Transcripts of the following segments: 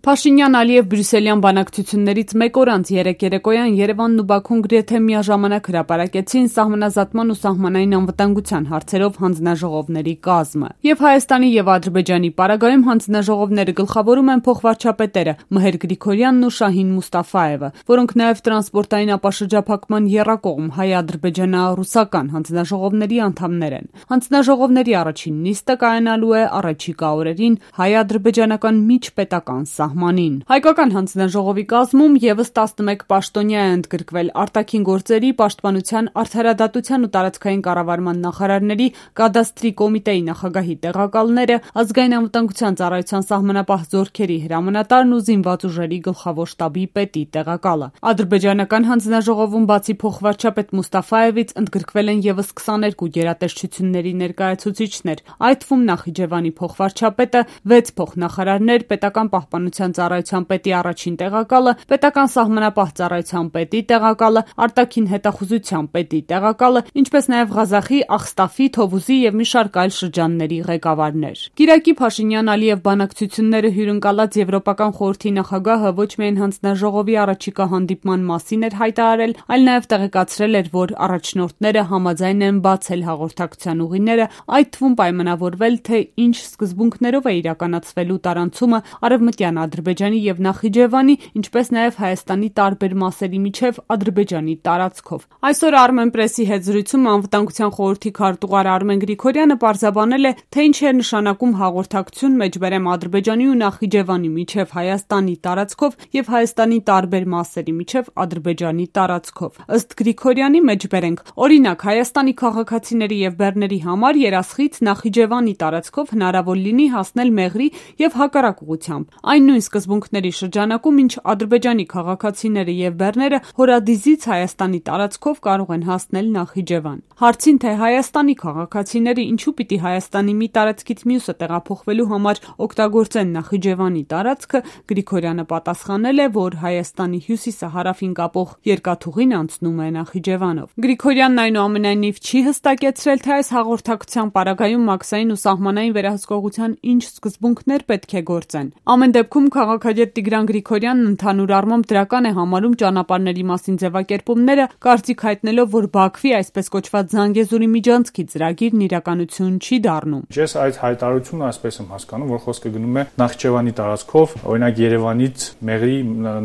Փաշինյան-Ալիև բրյուսելյան բանակցություններից մեկ օր անց երեկ երեկոյան Երևանն ու Բաքուն գրեթե միաժամանակ հրապարակեցին սահմանազատման ու սահմանային անվտանգության հարցերով հանձնաժողովների կազմը։ Եվ Հայաստանի եւ Ադրբեջանի պարագայում հանձնաժողովները գլխավորում են փոխվարչապետերը Մհեր Գրիգորյանն ու Շահին Մուստաֆաևը, որոնք նաեւ տրանսպորտային ապաշրջափակման եռակողմ հայ-ադրբեջանա-ռուսական հանձնաժողովների անդամներ են։ Հանձնաժողովների առաջին նիստը կայանալու է առաջիկա օրերին հայ-ադրբեջանական միջպետական սահմանին։ Հայկական հանձնաժողովի կազմում եւս 11 պաշտոնյա է ընդգրկվել արտաքին գործերի, պաշտպանության, արդարադատության ու տարածքային կառավարման նախարարների, կադաստրի կոմիտեի նախագահի տեղակալները, ազգային անվտանգության ծառայության սահմանապահ զորքերի հրամանատարն ու զինված ուժերի գլխավոր շտաբի պետի տեղակալը։ Ադրբեջանական հանձնաժողովում բացի փոխվարչապետ Մուստաֆաևից ընդգրկվել են եւս 22 գերատեսչությունների ներկայացուցիչներ, այդ թվում Նախիջևանի փոխվարչապետը, 6 փոխնախարարներ, պետական պահպանության ծառայության պետի առաջին տեղակալը, պետական սահմանապահ ծառայության պետի տեղակալը, արտաքին հետախուզության պետի տեղակալը, ինչպես նաև Ղազախի, Ախստաֆի, Թովուզի եւ մի շարք այլ շրջանների ղեկավարներ։ Կիրակի Փաշինյան-Ալիև բանակցությունները հյուրընկալած Եվրոպական խորհրդի նախագահը ոչ միայն հանձնաժողովի առաջիկա հանդիպման մասին էր հայտարարել, այլ նաև տեղեկացրել էր, որ առաջնորդները համաձայն են բացել հաղորդակցության ուղիները, այդ թվում պայմանավորվել, թե ինչ սկզբունքներով է իրականացվելու տարանցումը Արևմտյան Ադրբեջանի եւ Նախիջևանի, ինչպես նաև Հայաստանի տարբեր մասերի միջև Ադրբեջանի տարածքով։ Այսօր Armenpress-ի հետ զրույցում անվտանգության խորհրդի քարտուղար Արմեն Գրիգորյանը պարզաբանել է, թե ինչ է նշանակում հաղորդակցություն մեջբերեմ Ադրբեջանի ու Նախիջևանի միջև Հայաստանի տարածքով եւ Հայաստանի տարբեր մասերի միջև Ադրբեջանի տարածքով։ Ըստ Գրիգորյանի մեջբերենք, օրինակ Հայաստանի քաղաքացիների եւ բեռների համար Երասխից Նախիջևանի տարածքով հնարավոր լինի հասնել Մեղրի եւ հակառակ ուղղությամբ։ Այն նույն սկզբունքների շրջանակում, ինչ Ադրբեջանի քաղաքացիները եւ բեռները Հորադիզից Հայաստանի տարածքով կարող են հասնել Նախիջևան։ Հարցին, թե Հայաստանի քաղաքացիները ինչու պիտի Հայաստանի մի տարածքից մյուսը տեղափոխվելու համար օգտագործեն Նախիջևանի տարածքը, Գրիգորյանը պատասխանել է, որ Հայաստանի հյուսիսը հարավին կապող երկաթուղին անցնում է Նախիջևանով։ Գրիգորյանն այնուամենայնիվ չի հստակեցրել, թե այս հաղորդակցության պարագայում մաքսային ու սահմանային վերահսկողության ինչ սկզբունքներ պետք է գործեն։ Ամեն դեպքում քաղաքագետ Տիգրան Գրիգորյանն ընդհանուր առմամբ դրական է համարում ճանապարհների մասին ձևակերպումները, կարծիք հայտնելով, որ Բաքվի այսպես կոչված Զանգեզուրի միջանցքի ծրագիրն իրականություն չի դառնում։ Ես այդ հայտարարությունը այսպես եմ հասկանում, որ խոսքը գնում է Նախիջևանի տարածքով, օրինակ Երևանից Մեղրի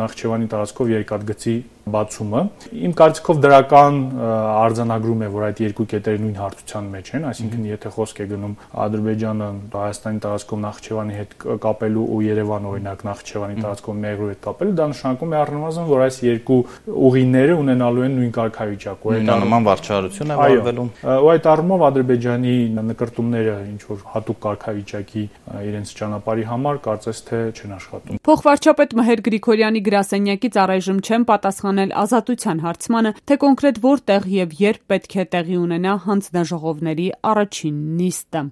Նախիջևանի տարածքով երկաթգծի բացումը։ Իմ կարծիքով դրական արձանագրում է, որ այդ երկու կետերը նույն հարթության մեջ են, այսինքն եթե խոսք է գնում Ադրբեջանը Հայաստանի տարածքով Նախիջևանի հետ կապելու ու Երևանը օրինակ Նախիջևանի տարածքով Մեղրու հետ կապելու, դա նշանակում է առնվազն, որ այս երկու ուղիները ունենալու են նույն կարգավիճակ, ու այդ նման վարչարություն է վարվելու։ Ու այդ առումով Ադրբեջանի նկրտումները ինչ որ հատուկ կարգավիճակի իրենց ճանապարհի համար կարծես թե չեն աշխատում։ Փոխվարչապետ Մհեր Գրիգորյանի գրասենյակից առայժմ չեն պատասխանել ազատության հարցմանը, թե կոնկրետ որտեղ եւ երբ պետք է տեղի ունենա հանձնաժողովների առաջին նիստը։